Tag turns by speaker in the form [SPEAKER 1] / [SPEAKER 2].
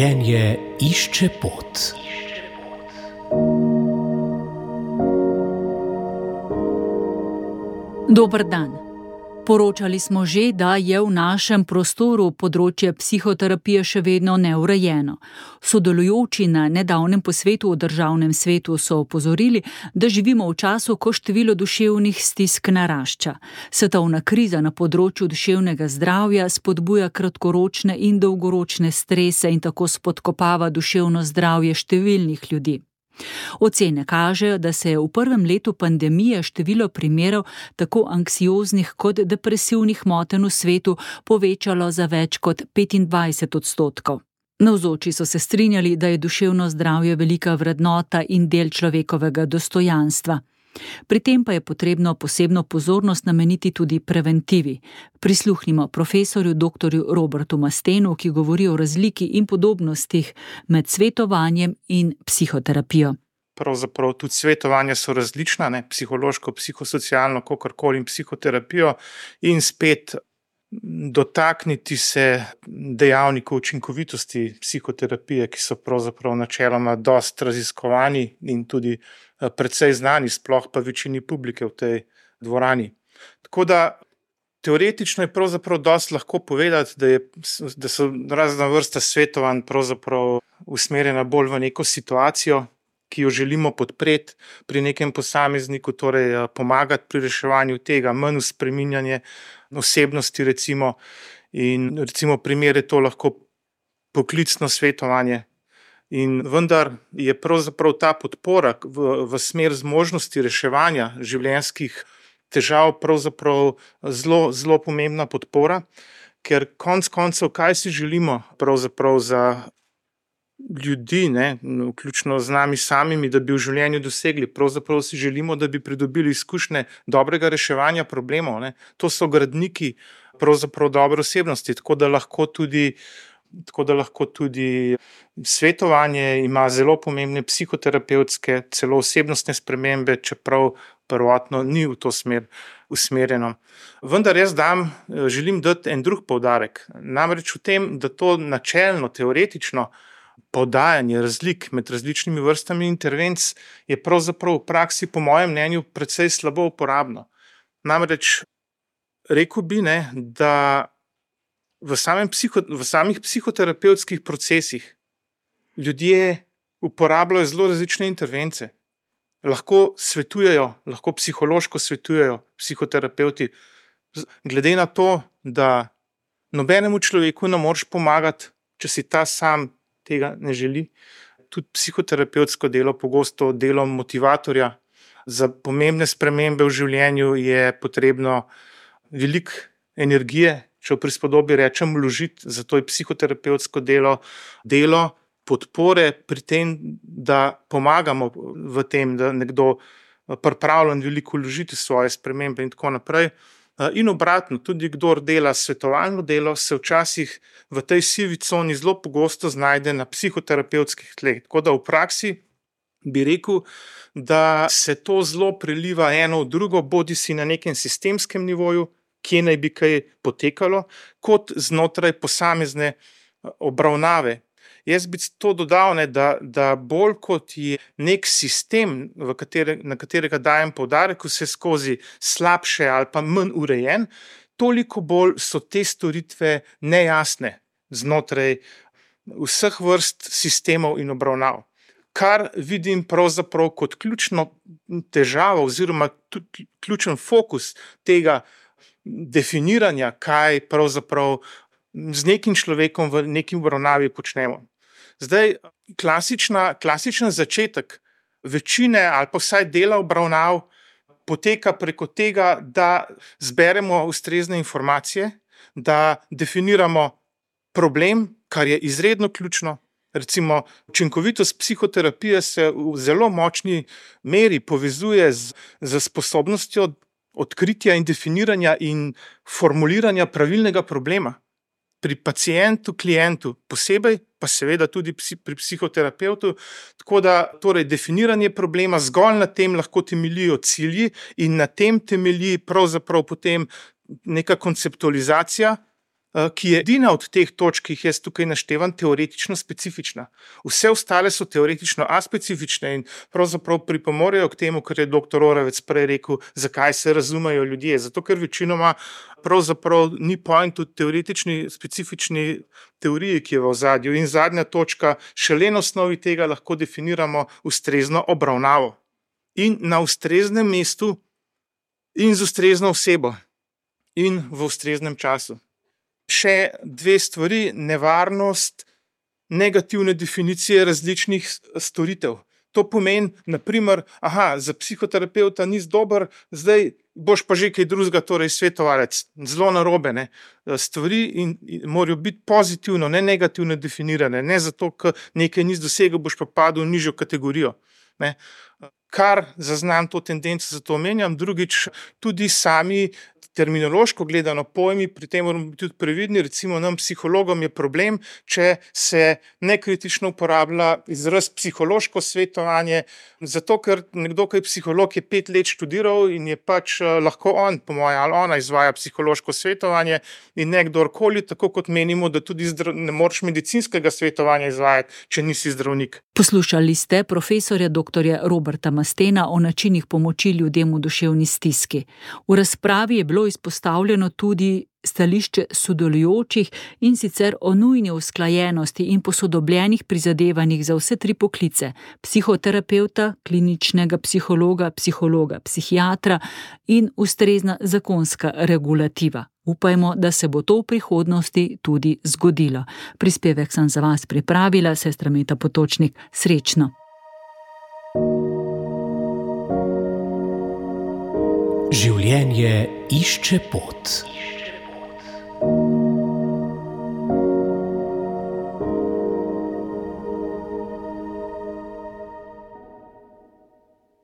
[SPEAKER 1] Življenje išče pot.
[SPEAKER 2] Dober dan. Poročali smo že, da je v našem prostoru področje psihoterapije še vedno neurejeno. Sodelujoči na nedavnem posvetu o državnem svetu so opozorili, da živimo v času, ko število duševnih stisk narašča. Svetovna kriza na področju duševnega zdravja spodbuja kratkoročne in dolgoročne strese in tako spodkopava duševno zdravje številnih ljudi. Ocene kažejo, da se je v prvem letu pandemije število primerov tako anksioznih kot depresivnih motenj v svetu povečalo za več kot 25%. Navzoči so se strinjali, da je duševno zdravje velika vrednota in del človekovega dostojanstva. Pri tem pa je potrebno posebno pozornost nameniti tudi preventivi. Prisluhnimo profesorju dr. Robertu Mastenu, ki govori o razliki in podobnostih med svetovanjem in psihoterapijo.
[SPEAKER 3] Pravzaprav tudi svetovanja so različna, psihološko, psihosocialno, kakorkoli in psihoterapijo, in spet dotakniti se dejavnikov učinkovitosti psihoterapije, ki so pravzaprav načeloma dosti raziskovani in tudi precej znani, sploh pa večini publike v tej dvorani. Tako da teoretično je pravzaprav dosti lahko povedati, da so razna vrsta svetovanj pravzaprav usmerjena bolj v neko situacijo, ki jo želimo podpreti pri nekem posamezniku, torej pomagati pri reševanju tega, manj v spreminjanje osebnosti recimo, in recimo primer je to lahko poklicno svetovanje. In vendar je pravzaprav ta podpora v smer zmožnosti reševanja življenjskih težav pravzaprav zelo pomembna podpora, ker konec koncev, kaj si želimo pravzaprav za ljudi, vključno z nami samimi, da bi v življenju dosegli. Pravzaprav si želimo, da bi pridobili izkušnje dobrega reševanja problemov. To so gradniki pravzaprav dobre osebnosti, tako da lahko tudi svetovanje ima zelo pomembne psihoterapevtske, celo osebnostne spremembe, čeprav prvotno ni v to smer usmerjeno. Vendar jaz želim dati en drug poudarek. Namreč v tem, da to načelno, teoretično podajanje razlik med različnimi vrstami intervenc je pravzaprav v praksi, po mojem mnenju, precej slabo uporabno. Namreč rekel bi, da v samih psihoterapevtskih procesih ljudje uporabljajo zelo različne intervence. Lahko svetujejo, lahko psihološko svetujejo psihoterapevti. Glede na to, da nobenemu človeku ne moreš pomagati, če si ta sam tega ne želi. Tudi psihoterapevtsko delo, pogosto delo motivatorja za pomembne spremembe v življenju, je potrebno veliko energije, če v prispodobi rečem, vložiti. Zato je psihoterapevtsko delo podpore pri tem, da pomagamo v tem, da nekdo pripravljen veliko vložiti svoje spremembe in tako naprej. In obratno, tudi kdor dela svetovalno delo, se včasih v tej sivi coni zelo pogosto znajde na psihoterapevtskih tleh. Tako da v praksi bi rekel, da se to zelo preliva eno v drugo, bodisi na nekem sistemskem nivoju, kje naj bi kaj potekalo, kot znotraj posamezne obravnave. Jaz bi to dodal, da bolj kot je nek sistem, na katerega dajem poudarek, vse skozi slabše ali pa manj urejen, toliko bolj so te storitve nejasne znotraj vseh vrst sistemov in obravnav. Kar vidim pravzaprav kot ključno težavo oziroma tudi ključen fokus tega definiranja, kaj pravzaprav z nekim človekom v neki obravnavi počnemo. Zdaj, klasičen začetek večine ali pa vsaj dela obravnav poteka preko tega, da zberemo ustrezne informacije, da definiramo problem, kar je izredno ključno. Recimo, učinkovitost psihoterapije se v zelo močni meri povezuje z sposobnostjo odkritja in definiranja in formuliranja pravilnega problema. Pri pacientu, klientu posebej, pa seveda tudi pri psihoterapevtu, tako da torej definiranje problema zgolj na tem lahko temeljijo cilji in na tem temelji pravzaprav potem neka konceptualizacija ki je edina od teh točk, ki jih jaz tukaj naštevam, teoretično specifična. Vse ostale so teoretično aspecifične in pravzaprav pripomorejo k temu, kar je dr. Oravec prej rekel, zakaj se razumejo ljudje. Zato, ker večinoma pravzaprav ni point v teoretični, specifični teoriji, ki je v ozadju. In zadnja točka, šele na osnovi tega lahko definiramo ustrezno obravnavo. In na ustreznem mestu in z ustrezno osebo in v ustreznem času. Še dve stvari, nevarnost negativne definicije različnih storitev. To pomeni, naprimer, za psihoterapeuta nisi dober, zdaj boš pa že kaj drugega, torej svetovalec. Zelo narobe, ne. Stvari morajo biti pozitivno, ne negativno definirane. Ne zato, ker nekaj nisi dosegel, boš pa padel v nižjo kategorijo. Ne. Kar zaznam to tendenco, zato omenjam. Drugič, tudi sami terminološko gledano pojmi, pri tem moramo biti tudi previdni. Recimo nam psihologom je problem, če se nekritično uporablja izraz psihološko svetovanje, zato ker nekdo, ki je psiholog, je 5 let študiral in je pač lahko on, po moje, ali ona izvaja psihološko svetovanje in ne kdorkoli, tako kot menimo, da tudi ne moreš medicinskega svetovanja izvajati, če nisi zdravnik.
[SPEAKER 2] Poslušali ste profesorja dr. Roberta Mastena o načinih pomoči ljudem v duševni stiski. V razpravi je bilo izpostavljeno tudi stališče sodelujočih, in sicer o nujni usklajenosti in posodobljenih prizadevanjih za vse 3 poklice: psihoterapevta, kliničnega psihologa, psihiatra in ustrezna zakonska regulativa. Upajmo, da se bo to v prihodnosti tudi zgodilo. Prispevek sem za vas pripravila, sestra Meta Potočnik. Srečno!
[SPEAKER 1] Življenje išče pot.